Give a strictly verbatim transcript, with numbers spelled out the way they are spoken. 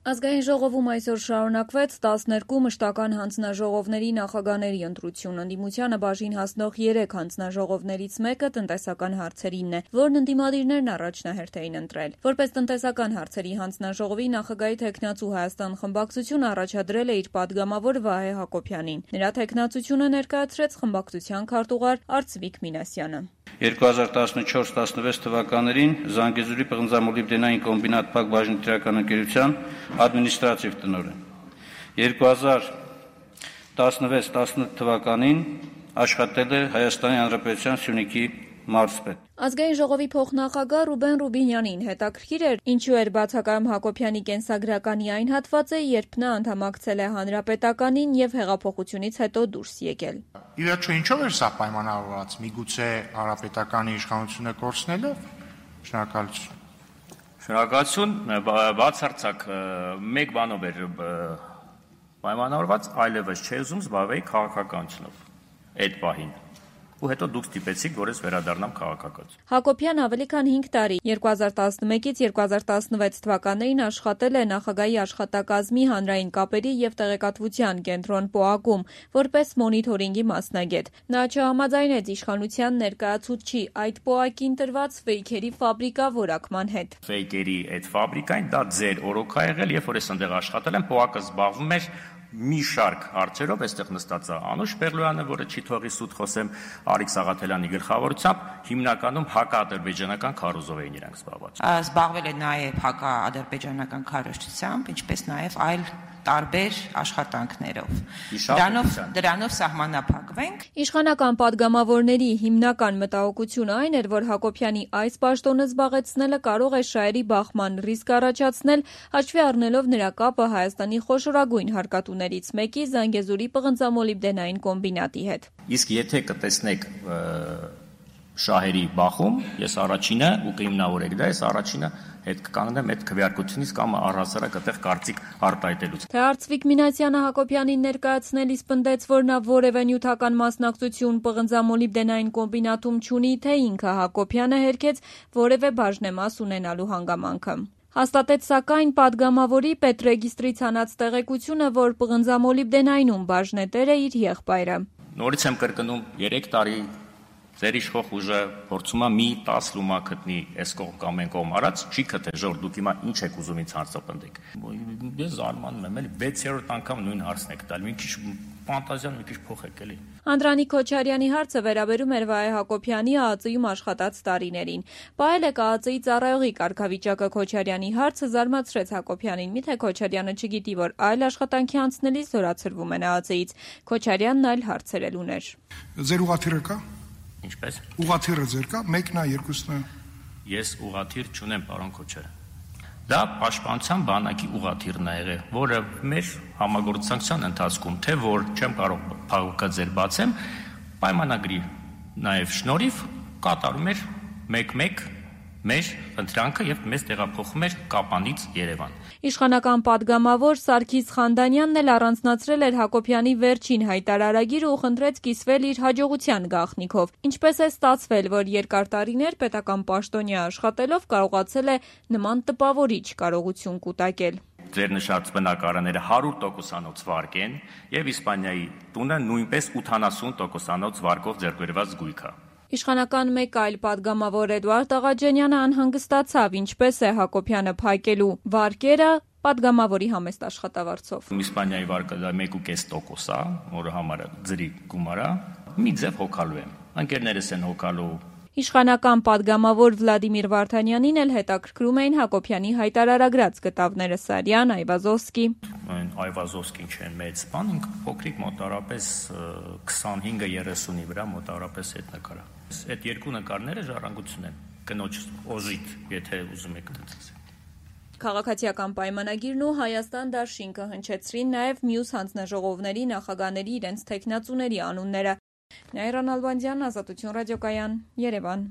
Ազգային ժողովում այսօր շարունակվեց տասներկու մշտական հանձնաժողովների նախագահների ընտրությունը։ Ընդդիմությանը բաժին հասնող երեք հանձնաժողովներից մեկը տնտեսական հարցերինն է, որն ընդդիմադիրներն առաջնահերթ էին ընտրել։ Որպես տնտեսական հարցերի հանձնաժողովի նախագահի թեկնածու Հայաստան խմբակցությունը առաջադրել է իր падգամավոր Վահե Հակոբյանին։ Նրա թեկնածությունը ներկայացրեց խմբակցության քարտուղար Արծվիկ Մինասյանը։ երկու հազար տասնչորս տասնվեց թվականներին Զանգեզուրի պղնձամոլիբդենային կոմբինատ Փակ բաժնետիրական ընկերության ադմինիստրատիվ տնօրեն։ երկու հազար տասնվեց տասնութ թվականին աշխատել է Հայաստանի Հանրապետության Սյունիքի մարզպետ։ Ազգային ժողովի փոխնախագահ Ռուբեն Ռուբինյանին հետաքրքիր էր, ինչու էր բացակայում Հակոբյանի կենսագրականի այն հատվածը, երբ նա անդամակցել է Հանրապետականին եւ հեղափոխությունից հետո դուրս եկել։ Ի վերջո ինչով էր սա պայմանավորված, միգուցե Հանրապետականի իշխանությունը կորցնելով։ Շնորհակալություն։ Շնորհակալություն, բացարձակ մեկ բանով էր պայմանավորված, այլևս չէ ուզում զբաղվել քաղաքականությունով այդ պահին։ Ու հետո դուք ստիպեցիք, որ ես վերադառնամ քաղաքականություն։ Հակոբյանը ավելի քան հինգ տարի երկու հազար տասնմեկից երկու հազար տասնվեց թվականներին աշխատել է նախագահի աշխատակազմի հանրային կապերի եւ տեղեկատվության կենտրոն ՊՕԱԿ-ում որպես մոնիթորինգի մասնագետ։ Նա չհամաձայնեց իշխանության ներկայացուցչի այդ ՊՕԱԿ-ին տրված ֆեյքերի ֆաբրիկա որակման հետ։ Ֆեյքերի այդ ֆաբրիկային դա ձեր օրոք է եղել, երբ որ ես այնտեղ աշխատել եմ, ՊՕԱԿ-ը զբաղվում էր մի շարք հարցերով, այստեղ նստած է Անուշ Պեղլոյանը, որը չի թողի սուտ խոսեմ, Արիկ Սաղաթելյանի գլխավորությամբ, հիմնականում հակաադրբեջանական քարոզով էին իրանք զբաղված։ Զբաղվել է նաև հակաադրբեջանական քարոզչությամբ, ինչպես նաև այլ տարբեր աշխատանքներով։ Դրանով դրանով սահմանափակվենք։ Իշխանական падգամավորների հիմնական մտահոգությունը այն էր, որ Հակոբյանի այս պաշտոնը զբաղեցնելը կարող է շահերի բախման ռիսկ առաջացնել, հաշվի առնելով նրա կապը Հայաստանի խոշորագույն հարկատուներից մեկի Զանգեզուրի պղնձամոլիբդենային կոմբինատի հետ։ Իսկ եթե կտեսնեք շահերի բախում, ես առաջինը ու կհիմնավորեք դա, ես առաջինը հետ կկանգնեմ այդ քվեարկությունից կամ առհասարակ այդտեղ կարծիք արտահայտելուց։ Թե Արծվիկ Մինասյանը Հակոբյանին ներկայացնելիս պնդեց, որ նա որևէ նյութական մասնակցություն պղնձամոլիբդենային կոմբինատում չունի, թե ինքը Հակոբյանը հերքեց որևէ բաժնեմաս ունենալու հանգամանքը։ Հաստատեց սակայն падգամավորի պետրեգիստրից հանած տեղեկությունը, որ պղնձամոլիբդենայինում բաժնետեր է իր եղբայրը։ Նորից եմ կրկնում, երեք տարի ձեր իշխող ուժը փորձում է մի տաս լումա գտնի այս կողմ կամ այն կողմ արած, չի գտե ժոր դուք հիմա ինչ եք ուզում ինձ հարցապնդեք։ Ես զարմանում եմ, էլի վեցերորդ անգամ նույն հարցն եք տալ, մի քիչ ֆանտազիան մի քիչ փոխեք էլի։ Անդրանիկ Քոչարյանի հարցը վերաբերում էր Վահե Հակոբյանի ԱԱԾ-ում աշխատած տարիներին։ Պահել է ԱԱԾ-ի ծառայողի կարգավիճակը Քոչարյանի հարցը զարմացրեց Հակոբյանին, միթե Քոչարյանը չգիտի, որ այլ աշխատանքի անցնելիս զորացրվում են ԱԱԾ-ից։ Քոչարյանն այլ հարցեր էլ ուներ։ Ձեր ուղղաթիռը կա։ Ինչպես։ Ուղղաթիռը ձեր կա, մեկն է, երկուսն է։ Ես ուղղաթիռ չունեմ, պարոն Քոչարյան։ Դա պաշտպանության բանակի ուղղաթիռն է եղել, որը մեր համագործակցության ընթացքում, թե որ չեմ կարող փակուկը ձեր բացեմ, պայմանագրի նաև շնորհիվ կատարում էր մեկ-մեկ մեր ընտրանքը եւ մեզ տեղափոխում էր Կապանից Երևան։ Իշխանական падգամավոր Սարգիս Խանդանյանն էլ առանձնացրել էր Հակոբյանի վերջին հայտարարագիրը ու խնդրեց կիսվել իր հաջողության գաղտնիքով։ Ինչպես է ստացվել, որ երկար տարիներ պետական պաշտոնյա աշխատելով կարողացել է նման տպավորիչ կարողություն կուտակել։ Ձեր նշած բնակարանները հարյուր տոկոսանոց վարկ են եւ Իսպանիայի տունը նույնպես ութանասուն տոկոսանոց վարկով ձեռքբերված գույք է։ Իշխանական մեկ այլ падգամավոր Էդուարդ Աղաջանյանը անհանգստացավ, ինչպես է Հակոբյանը փակելու վարկերը падգամավորի համեստ աշխատավարձով։ Իսպանիայի վարկը դա մեկ ու կես տոկոս է, որը համարը ձրի գումար է, մի ձև հոգալու եմ։ Ընկերներս են հոգալու։ Իշխանական падգամավոր Վլադիմիր Վարդանյանին էլ հետաքրքրում էին Հակոբյանի հայտարարագրած գտավները Սարյան, Այվազովսկի։ Այն Այվազովսկին չեն մեծ բան, ինքը փոքրիկ մոտարապես քսանհինգը երեսունի վրա մոտարապես այդ նկարը։ Այդ երկու նկարները ժառանգություն են, կնոջ օժիտ, եթե ուզում եք դարձնել։ Քաղաքացիական պայմանագիրն ու Հայաստան դաշինքը հնչեցրին նաև մյուս հանձնաժողովների նախագահների իրենց թեկնածուների անունները։ Նաիրա Նալբանդյան, Ազատություն ռադիոկայան, Երևան։